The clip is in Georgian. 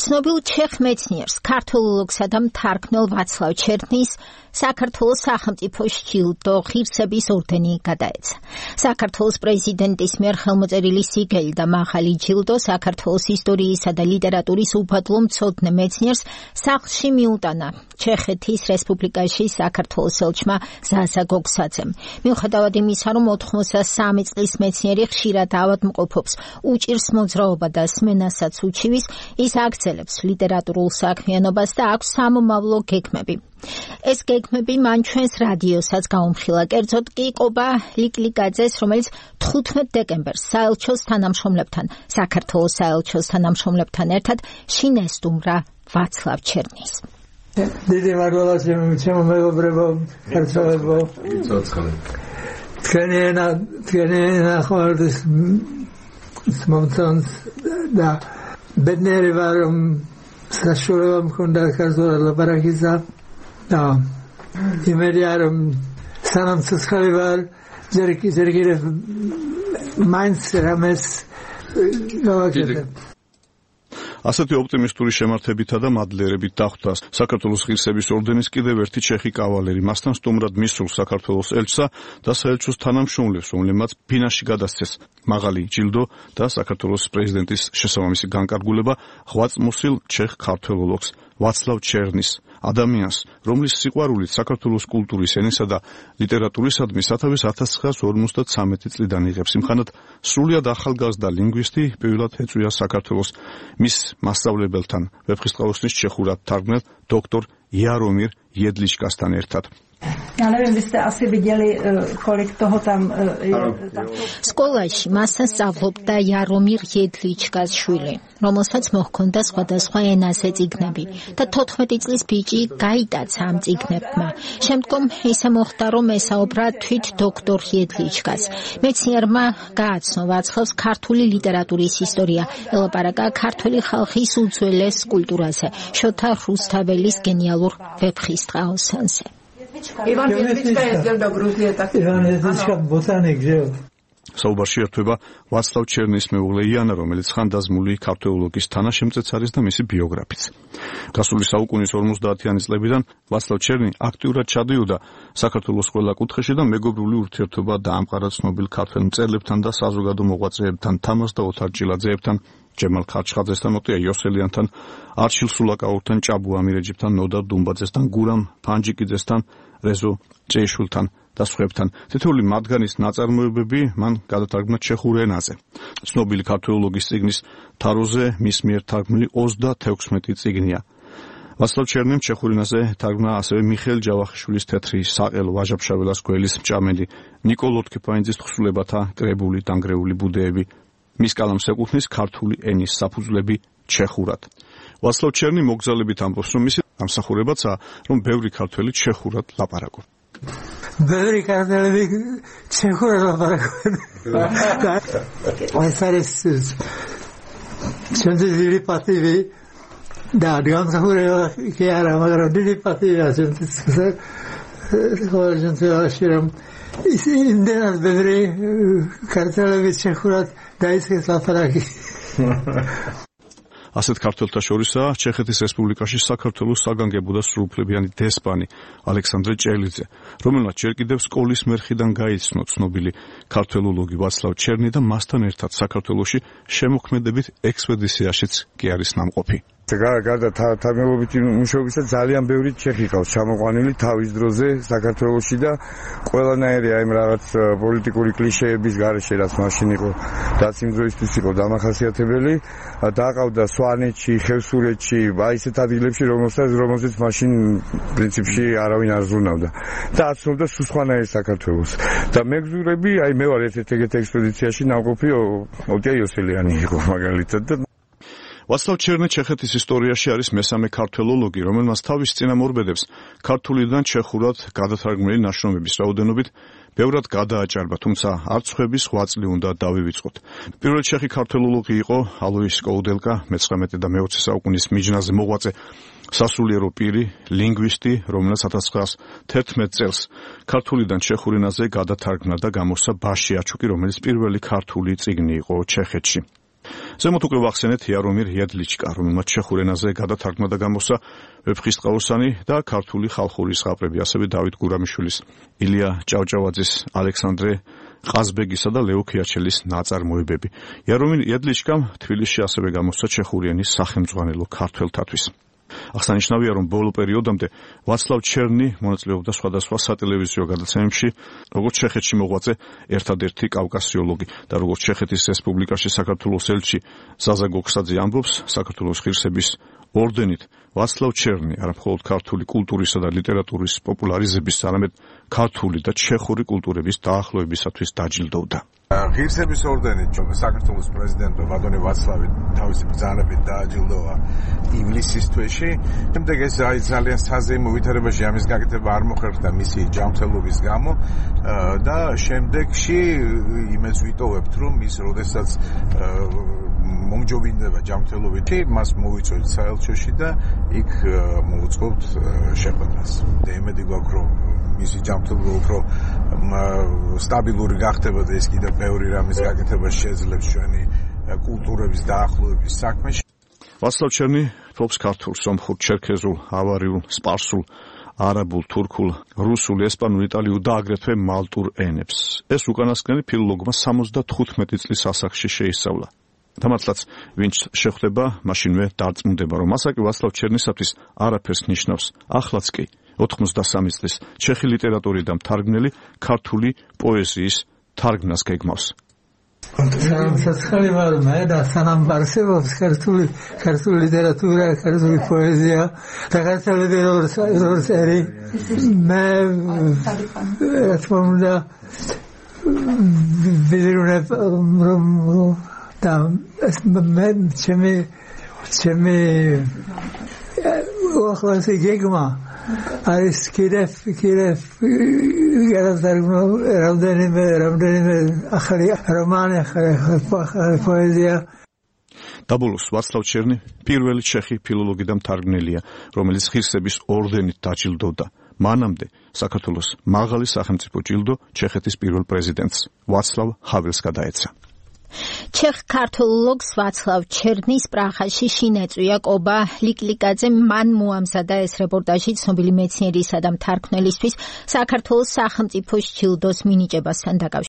ცნობილ ჩეხ მეცნიერს, ქართველოლოგსა და მთარგმნელ ვაცლავ ჩერნის საქართველოს სახელმწიფოს ჯილდო ღირსების ორდენი გადაეცა. საქართველოს პრეზიდენტის მიერ ხელმოწერილი სიგელი და მაღალი ჯილდო საქართველოს ისტორიისა და ლიტერატურის უბადლო მცოდნე მეცნიერს სახლში მიუტანა ჩეხეთის რესპუბლიკაში საქართველოს ელჩმა ზაზა გოგსაძემ. მიუხედავად იმისა, რომ 83 წლის მეცნიერი ხშირად ავადმყოფობს, უჭირს მოძრაობა და სმენასაც უჩივის, ის აგრძელებს ლიტერატურულ საქმიანობას და აქვს სამომავლო გეგმები. ეს გეგმები მან ჩვენს რადიოსაც გაუმხილა, კერძოდ კი ყობა ლიკლიკაძეს, რომელიც 15 დეკემბერს საელჩოს თანამშრომლებთან, საქართველოს საელჩოს თანამშრომლებთან ერთად შინესტუმრა ვაცლავ ჩერნის. დიდი მადლობა ჩემო მეგობრებო, ქართველებო. თქვენი ნახევარდის მომწონს და ბედნიერი ვარ, რომ საშუალება მქონდა ქართულად ლაპარაკისა. და იმედია რომ სანამ ცოცხალი ვარ ჯერ კიდევ მაინც რამეს გავაკეთებ. ასეთი ოპტიმისტური შემართებითა და მადლიერებით დახვდა საქართველოს ღირსების ორდენის კიდევ ერთი ჩეხი კავალერი, მასთან სტუმრად მისულ საქართველოს ელჩსა და საელჩოს თანამშრომლებს, რომლებმაც ფინაში გადასცეს მაღალი ჯილდო და საქართველოს პრეზიდენტის შესაბამისი განკარგულება ღვაწლმოსილ ჩეხ ქართველოლოგს ვაცლავ ჩერნის, ადამიანს, რომლის სიყვარულით საქართველოს კულტურის, ენისა და ლიტერატურისადმი სათავეს 1953 წლიდან იღებს. იმხანად სრულიად ახალგაზრდა ლინგვისტი პირველად ეწვია საქართველოს მის მასწავლებელთან, ვეფხისტყაოსნის ჩეხურად თარგმნელ დოქტორ Jaromír Jedličkasთან ერთად. Ja neviem, vy ste asi videli, kolik toho tam je. სკოლაში მასთან სწავლობდა Jaromír Jedličkas შვილი, რომელსაც მოჰქონდა სხვადასხვა ენაზე წიგნები და 14 წლის ბიჭი გაიტაცა ამ წიგნებმა. შემდგომ ისე მოხდა, რომ ესაუბრა თვით დოქტორ Jedličkas. მეცნიერმა გააცნო ვაცლავს ქართული ლიტერატურის ისტორია, ელაპარაკა ქართული ხალხის უძველეს კულტურაზე, შოთა რუსთაველის გენიალურ ვეფხისტყაოსანზე. Ivan Jedlička jezdil do Gruzie taky. Ivan Jedlička botanik, že jo? საუბარში ერთვება ვაცლავ ჩერნის მეუღლე იანა, რომელიც ხანდაზმული ქართველოლოგის თანაშემწეც არის და მისი ბიოგრაფიც. გასული საუკუნის 50-იანი წლებიდან ვაცლავ ჩერნი აქტიურად ჩადიოდა საქართველოს ყველა კუთხეში და მეგობრული ურთიერთობა დაამყარა ცნობილ ქართველ მწერლებთან და საზოგადო მოღვაწეებთან, თამაზ და ოთარ ჭილაძეებთან, ჯემალ ხარჩხაძესთან, ოტია იოსელიანთან, არჩილ სულაკაურთან, ჭაბუ ამირეჯიბთან, ნოდარ დუმბაძესთან, გურამ ფანჯიკიძესთან, რეზო ჭეიშვილთან და სხვებთან. თითოეული მათგანის ნაწარმოებები მან გადათარგმნა ჩეხურ ენაზე. ცნობილი ქართველოლოგის წიგნის თაროზე მის მიერ თარგმნილი 36 წიგნია. ვაცლავ ჩერნიმ ჩეხურ ენაზე თარგმნა ასევე მიხეილ ჯავახიშვილის თეთრი საყელო, ვაჟა-ფშაველას გველის მჭამელი, ნიკოლ ოთქიფანიძის თხზულებათა კრებული დანგრეული ბუდეები. მის კალამს ეკუთვნის ქართული ენის საფუძვლები ჩეხურად. ვაცლავ ჩერნი მოგზაურობით ამბობს, რომ მისი ამსახურებაცაა, რომ ბევრი ქართველი ჩეხურად ლაპარაკობს. ბევრი ქართველი ჩეხურად ლაპარაკობენ. ეს არის ჩვენთვის დიდი პატივი და გამსახურება კი არა, მაგრამ დიდი პატივია ჩვენთვის. რომ იმდენად ბევრი ქართველი ჩეხურად დაიწყეს ლაპარაკი. ასეთ ქართველთა შორისაა ჩეხეთის რესპუბლიკაში საქართველოს საგანგებო და სრულუფლებიანი დესპანი ალექსანდრე ჭელიძე, რომელმაც ჯერ კიდევ სკოლის მერხიდან გაიცნო ცნობილი ქართველოლოგი ვაცლავ ჩერნი და მასთან ერთად საქართველოში შემოქმედებით ექსპედიციაშიც კი არის ნამყოფი. გარდა თარგმნელობითი მუშაობისა ძალიან ბევრი ჩეხი ყავს ჩამოყვანილი თავის დროზე საქართველოში და ყველანაირი აი რაღაც პოლიტიკური კლიშეების გარეშე რაც მაშინ იყო, რაც იმ დროისთვის იყო დამახასიათებელი, დაყავდა სვანეთში, ხევსურეთში, აი ესეთ ადგილებში, რომელზეც მაშინ პრინციპში არავინ არ ზრუნავდა და აცნობდა სულ სხვანაირ საქართველოს. და მეგზურები, აი მე ვარ ერთ-ერთ ეგეთ ექსპედიციაში ნამყოფი, ოტია იოსელიანი იყო მაგალითად და ვაცლავ ჩერნი ჩეხეთის ისტორიაში არის მესამე ქართველოლოგი, რომელმაც თავის წინამორბედებს ქართულიდან ჩეხურად გადათარგმნილი ნაშრომების რაოდენობით ბევრად გადააჭარბა, თუმცა არც ხვების ღვაწლი უნდა დავივიწყოთ. პირველი ჩეხი ქართველოლოგი იყო ალოის კოუდელკა, მე-19 და მე-20 საუკუნის მიჯნაზე მოღვაწე სასულიერო პირი, ლინგვისტი, რომელსაც 1911 წელს ქართულიდან ჩეხურ ენაზე გადათარგმნა და გამოსცა ბაში აჩუკი, რომელიც პირველი ქართული წიგნი იყო ჩეხეთში. ზემოთ უკვე ვახსენეთ იარომირ იადლიჩკა, რომელმაც ჩეხურ ენაზე გადათარგმნა და გამოსცა ვეფხისტყაოსანი და ქართული ხალხური ზღაპრები, ასევე დავით გურამიშვილის, ილია ჭავჭავაძის, ალექსანდრე ყაზბეგისა და ლეო ქიაჩელის ნაწარმოებები. იარომირ იადლიჩკამ თბილისში ასევე გამოსცა ჩეხური ენის სახელმძღვანელო ქართველთათვის. აღსანიშნავია, რომ ბოლო პერიოდამდე ვაცლავ ჩერნი მონაწილეობდა სხვადასხვა სატელევიზიო გადაცემებში, როგორც ჩეხეთში მოღვაწე ერთადერთი კავკასიოლოგი და როგორც ჩეხეთის რესპუბლიკაში საქართველოს ელჩი ზაზა გოქსაძე ამბობს, საქართველოს ღირსების ორდენით ვაცლავ ჩერნი არა მხოლოდ ქართული კულტურისა და ლიტერატურის პოპულარიზების, არამედ ქართული და ჩეხური კულტურების დაახლოებისათვის დაჯილდოვდა. ღირსების ორდენით საქართველოს პრეზიდენტმა ბატონი ვაცლავი თავისი ბრძანებით დააჯილდოვა ივლისის თვეში. შემდეგ ეს ძალიან საზეიმო ვითარებაში ამის გაკეთება არ მოხერხდა მისი ჯანმრთელობის გამო და შემდეგში იმედს ვიტოვებთ, რომ ის როდესაც მომჯობინდება ჯანმრთელობით, მას მოვიწვევთ საელჩოში და იქ მოვუწყობთ შეხვედრას. და იმედი გვაქვს, რომ მისი ჯანმრთელობა უფრო სტაბილური გახდება და ის კიდევ ბევრი რამის გაკეთებას შეძლებს ჩვენი კულტურების დაახლოების საქმეში. ვაცლავ ჩერნი ფლობს ქართულ, სომხურ, ჩერქეზულ, ავარიულ, სპარსულ, არაბულ, თურქულ, რუსულ, ესპანურ, იტალიურ და აგრეთვე მალტურ ენებს. ეს უკანასკნელი ფილოლოგმა 75 წლის ასაკში შეისწავლა. და მართლაც ვინც შეხვდება, მაშინვე დარწმუნდება, რომ ასაკი ვაცლავ ჩერნისათვის არაფერს ნიშნავს. ახლაც კი 83 წლის ჩეხი ლიტერატურიდან მთარგმნელი ქართული პოეზიის თარგმნას გეგმავს. საცხალი ვარ მე და სანამ არსებობს ქართული ლიტერატურა, ქართული პოეზია და ქართული როგორც ერი მე რა თქმა უნდა ვიზრუნებ და მე ჩემი უახლოესი გეგმა არის კიდევ გადავთარგმნო რამდენიმე ახალი რომანი, ახალი პოეზია. დაბოლოს ვაცლავ ჩერნი პირველი ჩეხი ფილოლოგი და მთარგმნელია, რომელიც ღირსების ორდენით დაჯილდოვდა. მანამდე საქართველოს მაღალი სახელმწიფო ჯილდო ჩეხეთის პირველ პრეზიდენტს ვაცლავ ჰაველს გადაეცა. ჩეხ ქართოლოგს ვაცლავ ჩერნის პრაღაში შინეწვია კობა ლიკლიკაძემ მან მოამზადა ეს რეპორტაჟი ცნობილი მეცნიერისა და მთარგმნელისთვის საქართველოს სახელმწიფო ჯილდოს მინიჭებასთან დაკავშირებით.